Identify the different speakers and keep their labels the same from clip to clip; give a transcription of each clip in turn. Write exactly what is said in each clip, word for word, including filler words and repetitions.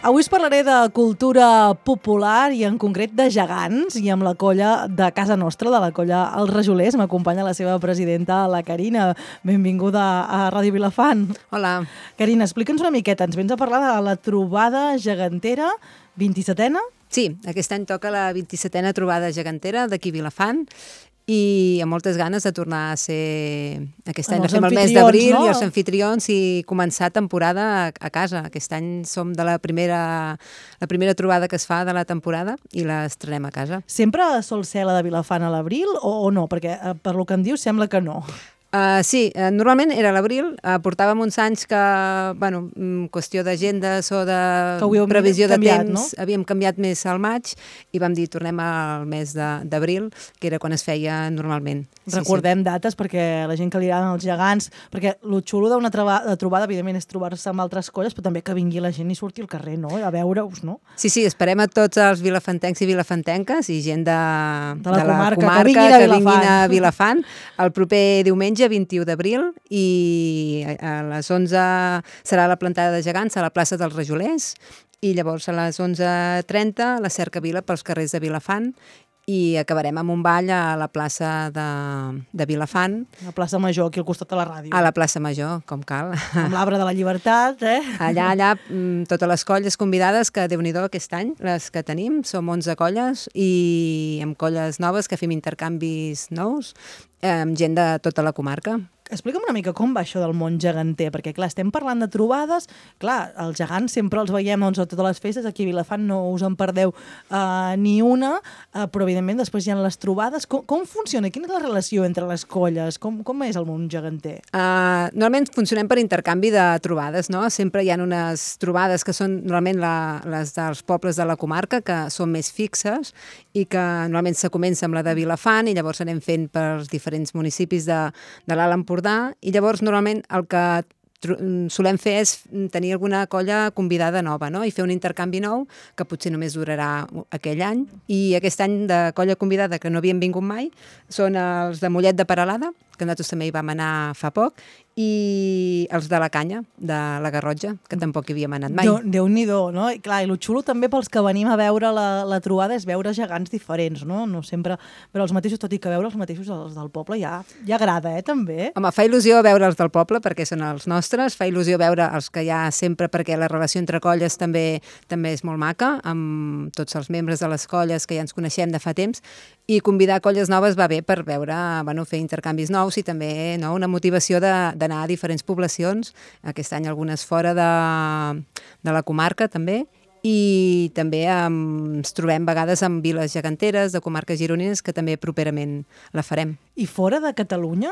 Speaker 1: Avui us parlaré de cultura popular i en concret de gegants i amb la colla de casa nostra, de la colla Els Rajolers. M'acompanya la seva presidenta, la Carina. Benvinguda a Ràdio Vilafant.
Speaker 2: Hola.
Speaker 1: Carina, explica'ns una miqueta. Ens vens a parlar de la trobada gegantera vint-i-setena?
Speaker 2: Sí, aquest any toca la vint-i-setena trobada gegantera d'aquí Vilafant i amb moltes ganes de tornar a ser... Aquest any la fem el mes d'abril, no? I els anfitrions i començar temporada a, a casa. Aquest any som de la primera, la primera trobada que es fa de la temporada i l'estrenem a casa.
Speaker 1: Sempre sol ser la de Vilafant a l'abril o, o no? Perquè eh, per lo que em dius sembla que no.
Speaker 2: Uh, sí, uh, normalment era a l'abril, uh, portàvem uns anys que, bueno, qüestió d'agendes o de previsió de
Speaker 1: canviat,
Speaker 2: temps,
Speaker 1: no?
Speaker 2: havíem canviat més al maig i vam dir tornem al mes d'abril, que era quan es feia normalment.
Speaker 1: Sí, recordem sí. dates perquè la gent que li agraden els gegants, perquè el xulo d'una trobada, evidentment, és trobar-se amb altres colles, però també que vingui la gent i surti al carrer, no? A veure-us, no?
Speaker 2: Sí, sí, esperem a tots els vilafantencs i vilafantenques i gent de,
Speaker 1: de, la, de la comarca,
Speaker 2: comarca
Speaker 1: que, vinguin
Speaker 2: que vinguin a Vilafant el proper diumenge vint-i-u d'abril i a les onze serà la plantada de gegants a la plaça dels Rajolers i llavors a les onze trenta la cercavila pels carrers de Vilafant i acabarem amb un ball a la plaça de, de Vilafant.
Speaker 1: A la plaça Major, aquí al costat de la ràdio.
Speaker 2: A la plaça Major, com cal.
Speaker 1: Amb l'Arbre de la Llibertat, eh?
Speaker 2: Allà, allà, totes les colles convidades, que Déu-n'hi-do aquest any, les que tenim, som onze colles i amb colles noves que fem intercanvis nous, amb gent de tota la comarca.
Speaker 1: Explica'm una mica com va això del món geganter, perquè clar, estem parlant de trobades, clar, els gegants sempre els veiem doncs, a totes les festes, aquí a Vilafant no us en perdeu uh, ni una, uh, però evidentment després hi ha les trobades. Com, com funciona? Quina és la relació entre les colles? Com, com és el món geganter?
Speaker 2: Uh, normalment funcionem per intercanvi de trobades, no? Sempre hi ha unes trobades que són normalment la, les dels pobles de la comarca, que són més fixes i que normalment se comença amb la de Vilafant i llavors anem fent pels diferents municipis de, de l'Alt Empordà i llavors normalment el que solem fer és tenir alguna colla convidada nova, no? I fer un intercanvi nou que potser només durarà aquell any i aquest any de colla convidada que no havien vingut mai són els de Mollet de Peralada, que nosaltres també hi vam anar fa poc, i els de la Canya, de la Garrotxa, que tampoc hi havíem anat mai.
Speaker 1: Déu, Déu-n'hi-do, no? I clar, i el xulo també pels que venim a veure la, la trobada és veure gegants diferents, no? No sempre, però els mateixos, tot i que veure els mateixos els del poble ja, ja agrada, eh, també.
Speaker 2: Home, fa il·lusió veure els del poble perquè són els nostres, fa il·lusió veure els que hi ha sempre perquè la relació entre colles també també és molt maca, amb tots els membres de les colles que ja ens coneixem de fa temps, i convidar colles noves va bé per veure, bueno, fer intercanvis nous i també, no, una motivació de, d'anar a diferents poblacions, aquest any algunes fora de, de la comarca també, i també um, ens trobem vegades amb viles geganteres de comarques gironines que també properament la farem.
Speaker 1: I fora de Catalunya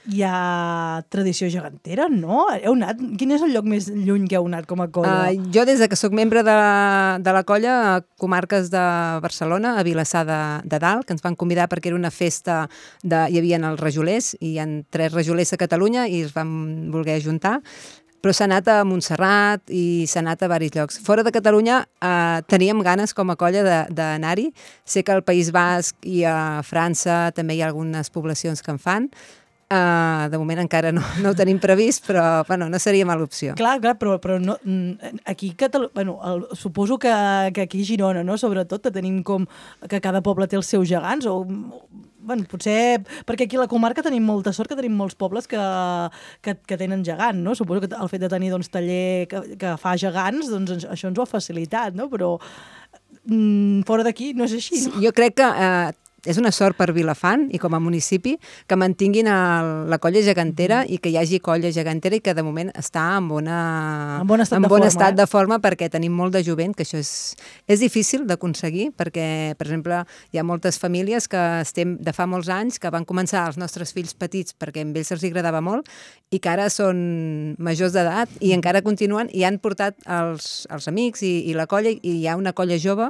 Speaker 1: hi ha tradició gegantera, no? Heu anat? Quin és el lloc més lluny que heu anat com a colla?
Speaker 2: Uh, jo des de que sóc membre de, de la colla a comarques de Barcelona, a Vilassar de, de Dalt, que ens van convidar perquè era una festa, de, hi havia els rajolers, i hi ha tres rajolers a Catalunya i es van voler ajuntar, però s'ha anat a Montserrat i s'ha anat a diversos llocs. Fora de Catalunya eh, teníem ganes com a colla d'anar-hi. Sé que al País Basc i a França també hi ha algunes poblacions que en fan. Uh, de moment encara no, no ho tenim previst, però bueno, no seria mala opció.
Speaker 1: Clar, clar, però, però no, aquí Catalu... bueno, el, suposo que, que aquí a Girona, no? Sobretot, que tenim com que cada poble té els seus gegants, o bueno, potser perquè aquí a la comarca tenim molta sort que tenim molts pobles que, que, que tenen gegant, no? Suposo que el fet de tenir doncs, taller que, que fa gegants, doncs això ens ho ha facilitat, no? Però mm, fora d'aquí no és així, no?
Speaker 2: Jo crec que eh, és una sort per Vilafant i com a municipi que mantinguin el, la colla gegantera mm. i que hi hagi colla gegantera i que de moment està en, bona,
Speaker 1: en bon estat,
Speaker 2: en
Speaker 1: de,
Speaker 2: bon
Speaker 1: forma,
Speaker 2: estat
Speaker 1: eh?
Speaker 2: de forma perquè tenim molt de jovent, que això és, és difícil d'aconseguir perquè, per exemple, hi ha moltes famílies que estem de fa molts anys que van començar els nostres fills petits perquè a ells els agradava molt i que ara són majors d'edat i encara continuen i han portat els, els amics i, i la colla i hi ha una colla jove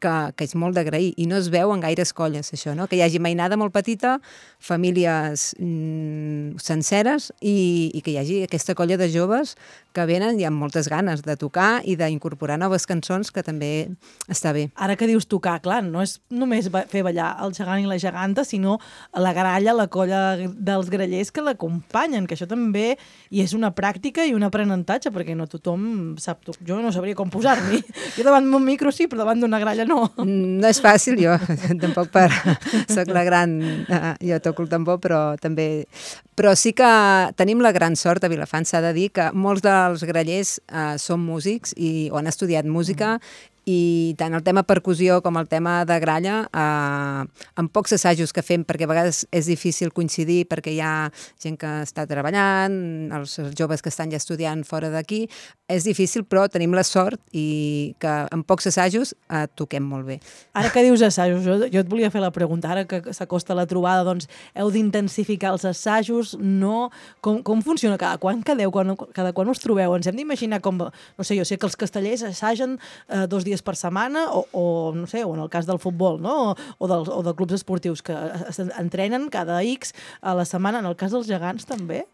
Speaker 2: que, que és molt d'agrair, i no es veu en gaires colles, això, no? Que hi hagi mainada molt petita, famílies mm, senceres, i, i que hi hagi aquesta colla de joves que venen i amb moltes ganes de tocar i d'incorporar noves cançons, que també està bé.
Speaker 1: Ara que dius tocar, clar, no és només fer ballar el gegant i la geganta, sinó la gralla, la colla dels grallers que l'acompanyen, que això també hi és una pràctica i un aprenentatge, perquè no tothom sap tocar. Jo no sabria com posar-m'hi. Jo davant d'un micro sí, però davant d'una gralla no.
Speaker 2: No és fàcil, jo tampoc per... Soc la gran... Jo toco el tambor, però també... Però sí que tenim la gran sort a Vilafant, s'ha de dir, que molts dels grallers eh, són músics i, o han estudiat música, mm. i tant el tema percussió com el tema de gralla, eh, amb pocs assajos que fem, perquè a vegades és difícil coincidir, perquè hi ha gent que està treballant, els joves que estan ja estudiant fora d'aquí, és difícil, però tenim la sort i que amb pocs assajos eh, toquem molt bé.
Speaker 1: Ara que dius assajos, jo, jo et volia fer la pregunta, ara que s'acosta la trobada, doncs heu d'intensificar els assajos, no? Com, com funciona? Cada quan quedeu? Quan, cada quan us trobeu? Ens hem d'imaginar com, no sé, jo sé que els castellers assagen eh, dos dies per setmana, o, o no sé, o en el cas del futbol, no? O, o, dels, o de clubs esportius que entrenen cada X a la setmana. En el cas dels gegants també?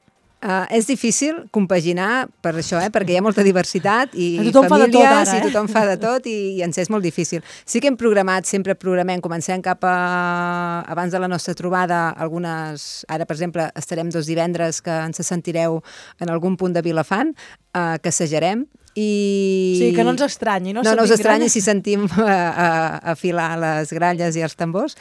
Speaker 2: Uh, és difícil compaginar per això, eh? Perquè hi ha molta diversitat i
Speaker 1: tothom
Speaker 2: famílies,
Speaker 1: fa de tot ara, eh?
Speaker 2: i tothom fa de tot, i, i ens és molt difícil. Sí que hem programat, sempre programem, comencem cap a... abans de la nostra trobada, algunes... Ara, per exemple, estarem dos divendres que ens sentireu en algun punt de Vilafant, uh, que assajarem, i...
Speaker 1: Sí, que no ens estranyi, no?
Speaker 2: No, no us estranyi si sentim uh, uh, afilar les gralles i els tambors.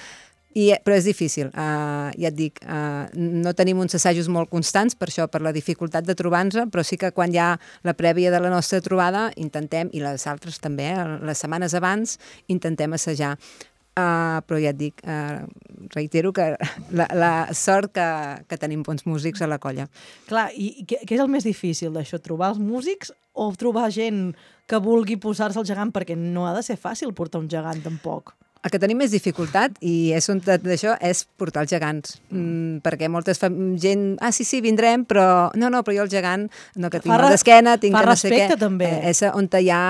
Speaker 2: I, però és difícil, uh, ja et dic, uh, no tenim uns assajos molt constants per això, per la dificultat de trobar-nos, però sí que quan hi ha la prèvia de la nostra trobada intentem, i les altres també, eh, les setmanes abans, intentem assajar. Uh, però ja et dic, uh, reitero que la, la sort que, que tenim bons músics a la colla.
Speaker 1: Clar, i què, què és el més difícil d'això? Trobar els músics o trobar gent que vulgui posar-se al gegant? Perquè no ha de ser fàcil portar un gegant tampoc.
Speaker 2: El que tenim més dificultat, i és un d'això, és portar els gegants. Mm, perquè moltes fa... gent... Ah, sí, sí, vindrem, però... No, no, però jo el gegant... No, que tinc mal d'esquena, tinc que no sé què.
Speaker 1: Fa respecte, també.
Speaker 2: Eh, és on hi ha,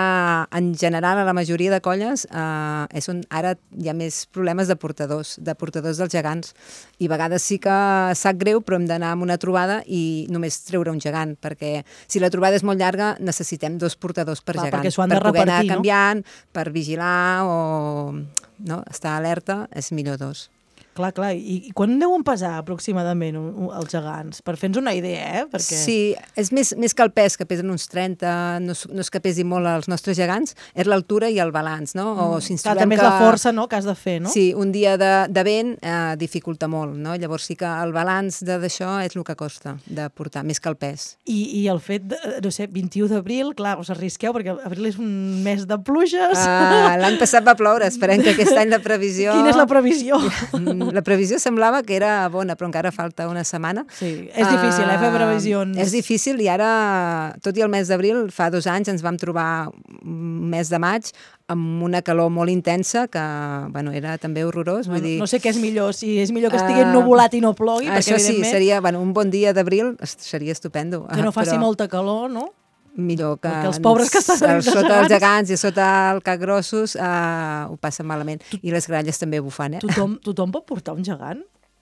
Speaker 2: en general, a la majoria de colles, eh, és on ara hi ha més problemes de portadors, de portadors dels gegants. I a vegades sí que sap greu, però hem d'anar amb una trobada i només treure un gegant, perquè si la trobada és molt llarga, necessitem dos portadors per
Speaker 1: Clar,
Speaker 2: gegant.
Speaker 1: perquè s'ho han de repartir,
Speaker 2: poder anar
Speaker 1: no?
Speaker 2: canviant, per vigilar o... No? Estar alerta és millor dos.
Speaker 1: Clar, clar. I, i quan deuen pesar aproximadament un, un, els gegants? Per fer-nos una idea, eh? Perquè...
Speaker 2: Sí, és més, més que el pes, que pesen uns trenta, no, no és que pesi molt els nostres gegants, és l'altura i el balanç, no? O
Speaker 1: mm.
Speaker 2: si ens
Speaker 1: clar,
Speaker 2: trobem
Speaker 1: també
Speaker 2: que...
Speaker 1: és la força, no?, que has de fer, no?
Speaker 2: Sí, un dia de, de vent eh, dificulta molt, no? Llavors sí que el balanç d'això és el que costa de portar, més que el pes.
Speaker 1: I, i el fet, de, no sé, vint-i-u d'abril, clar, us arrisqueu, perquè abril és un mes de pluges.
Speaker 2: Uh, L'any passat va ploure, esperem que aquest any la previsió...
Speaker 1: Quina és la previsió?
Speaker 2: La previsió semblava que era bona, però encara falta una setmana.
Speaker 1: Sí, és difícil, eh, fer previsions.
Speaker 2: Uh, és difícil, i ara, tot i el mes d'abril, fa dos anys ens vam trobar un mes de maig amb una calor molt intensa, que bueno, era també horrorós.
Speaker 1: Bueno,
Speaker 2: vull dir,
Speaker 1: no sé què és millor, si és millor que estigui ennuvolat i no plogui,
Speaker 2: uh,
Speaker 1: perquè
Speaker 2: això sí,
Speaker 1: evidentment...
Speaker 2: seria bueno, un bon dia d'abril, seria estupendo.
Speaker 1: Que no faci
Speaker 2: però...
Speaker 1: molta calor, no?
Speaker 2: Millor que,
Speaker 1: que els pobres que estan
Speaker 2: els, sota els gegants i sota el cac grossos uh, ho passen malament. I les gralles també bufant, eh?
Speaker 1: Tothom, tothom pot portar un gegant?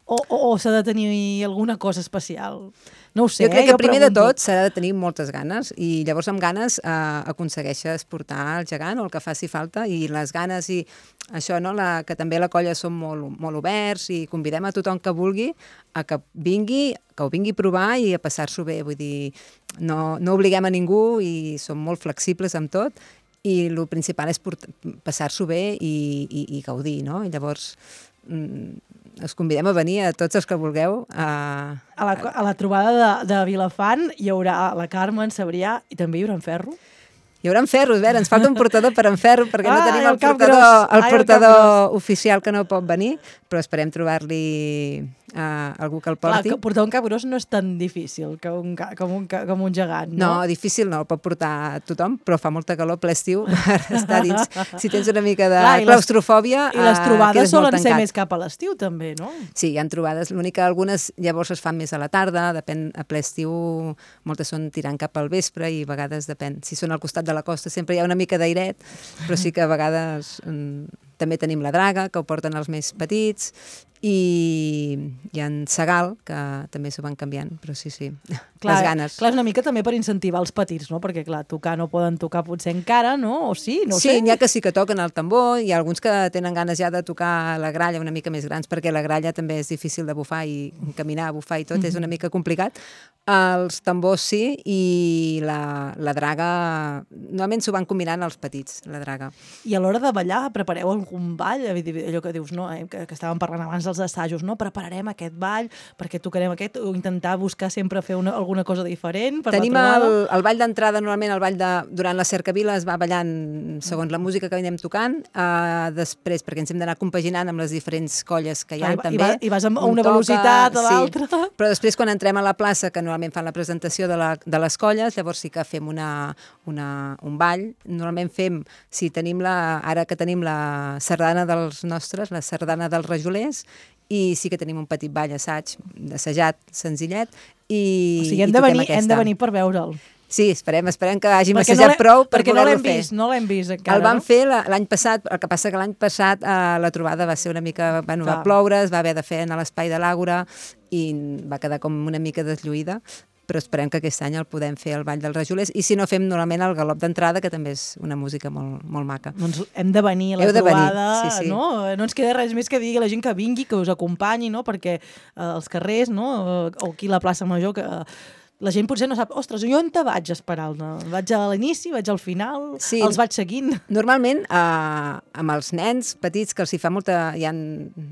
Speaker 1: O, o, o s'ha de tenir alguna cosa especial? No ho sé,
Speaker 2: jo crec
Speaker 1: eh?
Speaker 2: que
Speaker 1: jo
Speaker 2: primer
Speaker 1: pregunto.
Speaker 2: de tot s'ha de tenir moltes ganes, i llavors amb ganes eh, aconsegueixes portar el gegant o el que faci falta, i les ganes i això, no? La, que també la colla som molt, molt oberts i convidem a tothom que vulgui a que vingui, que ho vingui a provar i a passar-s'ho bé. Vull dir, no, no obliguem a ningú i som molt flexibles amb tot, i el principal és passar-s'ho bé i, i, i gaudir, no? I llavors us convidem a venir a tots els que vulgueu. A,
Speaker 1: a, la, a la trobada de, de Vilafant hi haurà la Carme, en Sabrià, i també hi haurà en Ferro.
Speaker 2: Hi haurà en Ferro, a veure, ens falta un portador per en Ferro, perquè
Speaker 1: ah,
Speaker 2: no tenim el,
Speaker 1: el
Speaker 2: portador,
Speaker 1: gros.
Speaker 2: el
Speaker 1: Ai,
Speaker 2: portador
Speaker 1: el
Speaker 2: oficial, que no pot venir, però esperem trobar-li uh, algú que el
Speaker 1: Clar,
Speaker 2: porti.
Speaker 1: que portar un capgròs no és tan difícil que un, ca- com, un, ca- com un gegant, no?
Speaker 2: No, difícil no, el pot portar tothom, però fa molta calor ple estiu per estar dins. Si tens una mica de
Speaker 1: Clar, i les-
Speaker 2: claustrofòbia,
Speaker 1: I les
Speaker 2: eh,
Speaker 1: trobades
Speaker 2: quedes molt
Speaker 1: solen ser
Speaker 2: tancat.
Speaker 1: més cap a l'estiu, també, no?
Speaker 2: Sí, hi ha trobades. L'únic que algunes llavors es fan més a la tarda, depèn, a ple estiu, moltes són tirant cap al vespre i a vegades depèn. Si són al costat de la costa sempre hi ha una mica d'airet, però sí que a vegades mm, també tenim la draga, que ho porten els més petits, i hi ha en Segal, que també s'ho van canviant, però sí, sí,
Speaker 1: Clar,
Speaker 2: les ganes.
Speaker 1: clar, és una mica també per incentivar els petits, no? Perquè, clar, tocar no poden tocar potser encara, no? O sí, no ho
Speaker 2: Sí,
Speaker 1: sé.
Speaker 2: n'hi ha que sí que toquen el tambor, hi ha alguns que tenen ganes ja de tocar la gralla una mica més grans, perquè la gralla també és difícil de bufar i caminar, bufar i tot, és una mica complicat. Els tambors sí, i la, la draga, normalment s'ho van combinant els petits, la draga.
Speaker 1: I a l'hora de ballar, prepareu algun ball? Allò que dius, no? Eh? Que, que estàvem parlant abans dels assajos, no? Prepararem aquest ball, perquè tocarem aquest, o intentar buscar sempre fer una, alguna cosa diferent per
Speaker 2: Tenim
Speaker 1: la trobada?
Speaker 2: el, el ball d'entrada, normalment el ball de, durant la cercavila es va ballant segons la música que anem tocant, uh, després, perquè ens hem d'anar compaginant amb les diferents colles que hi ha,
Speaker 1: Clar, i,
Speaker 2: també.
Speaker 1: I, va, I vas a
Speaker 2: Un
Speaker 1: una
Speaker 2: toca,
Speaker 1: velocitat a
Speaker 2: sí.
Speaker 1: l'altra.
Speaker 2: Però després, quan entrem a la plaça, que normalment fan la presentació de, la, de les colles, llavors sí que fem una, una, un ball. Normalment fem, si tenim la, ara que tenim la sardana dels nostres, la sardana dels rajolers, i sí que tenim un petit ball assaig, assajat, senzillet, i,
Speaker 1: O sigui, hem
Speaker 2: i
Speaker 1: de,
Speaker 2: toquem
Speaker 1: venir,
Speaker 2: aquesta.
Speaker 1: hem de venir per veure'l.
Speaker 2: Sí, esperem, esperem que hàgim
Speaker 1: Perquè
Speaker 2: assajat
Speaker 1: no l'he-
Speaker 2: prou per
Speaker 1: perquè no
Speaker 2: poder-lo
Speaker 1: l'hem
Speaker 2: fer.
Speaker 1: vist, no l'hem vist encara,
Speaker 2: El vam
Speaker 1: no?
Speaker 2: fer la- l'any passat, el que passa que l'any passat eh, la trobada va ser una mica... Bueno,
Speaker 1: Clar.
Speaker 2: va ploure, es va haver de fer en l'espai de l'Àgora i va quedar com una mica deslluïda, però esperem que aquest any el podem fer al Ball dels Rajolers, i si no fem normalment el galop d'entrada, que també és una música molt, molt maca.
Speaker 1: Doncs hem de venir a la
Speaker 2: Heu de venir,
Speaker 1: trobada,
Speaker 2: sí, sí.
Speaker 1: no? No ens queda res més que dir a la gent que vingui, que us acompanyi, no? Perquè eh, els carrers, no? Eh, o aquí a la plaça Major, que eh, la gent potser no sap, ostres, jo on te vaig a esperar? No? Vaig a l'inici, vaig al final,
Speaker 2: Sí.
Speaker 1: els vaig seguint.
Speaker 2: Normalment, eh, amb els nens petits, que els hi fa molta... Hi ha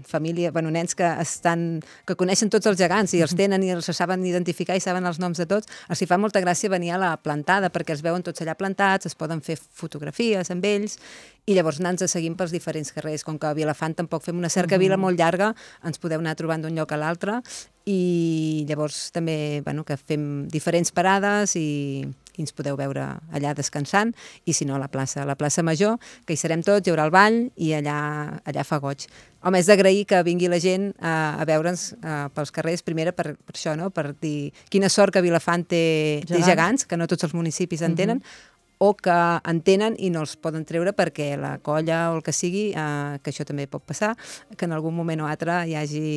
Speaker 2: família, bueno, nens que estan... que coneixen tots els gegants i els tenen i els saben identificar i saben els noms de tots, els hi fa molta gràcia venir a la plantada, perquè els veuen tots allà plantats, es poden fer fotografies amb ells, i llavors anar-nos seguint pels diferents carrers. Com que a Vilafant tampoc fem una cercavila molt llarga, ens podeu anar trobant d'un lloc a l'altre, i llavors també, bueno, que fem diferents parades i, i ens podeu veure allà descansant, i si no a la plaça, a la plaça Major, que hi serem tots, hi haurà el ball i allà, allà fa goig. Home, és d'agrair que vingui la gent a, a veure'ns uh, pels carrers, primera per, per això, no? Per dir quina sort que Vilafant té, té
Speaker 1: Gegants.
Speaker 2: gegants, que no tots els municipis en tenen, o que en tenen i no els poden treure perquè la colla o el que sigui, eh, que això també pot passar, que en algun moment o altre hi hagi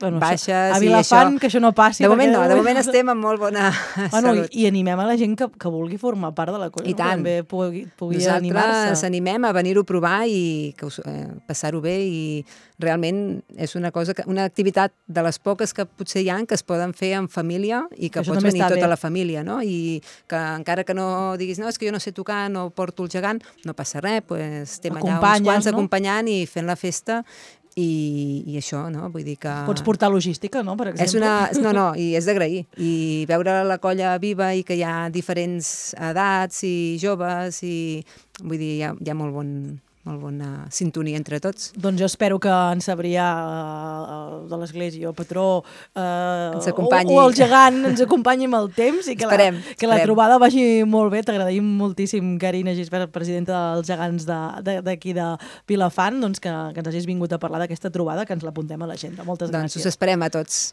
Speaker 1: Bueno,
Speaker 2: baixes
Speaker 1: això, a
Speaker 2: i
Speaker 1: Vilafant,
Speaker 2: això...
Speaker 1: que això no passi.
Speaker 2: De moment
Speaker 1: perquè
Speaker 2: no, de moment estem en molt bona
Speaker 1: Bueno,
Speaker 2: salut.
Speaker 1: i, i animem a la gent que, que vulgui formar part de la colla,
Speaker 2: I
Speaker 1: no?
Speaker 2: tant.
Speaker 1: Que també pugui, pugui
Speaker 2: Nosaltres
Speaker 1: animar-se.
Speaker 2: animem a venir-ho a provar i que us, eh, passar-ho bé, i realment és una cosa que, una activitat de les poques que potser hi ha que es poden fer en família i que
Speaker 1: Això
Speaker 2: pots
Speaker 1: també
Speaker 2: venir
Speaker 1: està
Speaker 2: tota
Speaker 1: bé.
Speaker 2: la família, no? I que encara que no diguis, no, és que jo no sé tocar, no porto el gegant, no passa res, pues, estem allà uns
Speaker 1: Acompanyes,
Speaker 2: quants
Speaker 1: no?
Speaker 2: acompanyant i fent la festa, i, i això, no? Vull dir que...
Speaker 1: Pots portar logística, no?, per exemple.
Speaker 2: És una, no, no, i és d'agrair. I veure la colla viva i que hi ha diferents edats i joves, i vull dir, hi ha, hi ha molt, bon, molt bona sintonia entre tots.
Speaker 1: Doncs jo espero que en Sabrià eh, de l'Església, o Patró, eh,
Speaker 2: Ens acompanyi.
Speaker 1: o, o el gegant ens acompanyi amb el temps i que,
Speaker 2: Esperem,
Speaker 1: la, que la
Speaker 2: esperem.
Speaker 1: trobada vagi molt bé. T'agraïm moltíssim, Carina Gisbert, presidenta dels gegants d'aquí de, de Vilafant, doncs que, que ens hagis vingut a parlar d'aquesta trobada, que ens l'apuntem a l'agenda. Moltes
Speaker 2: Doncs
Speaker 1: gràcies.
Speaker 2: us esperem a tots.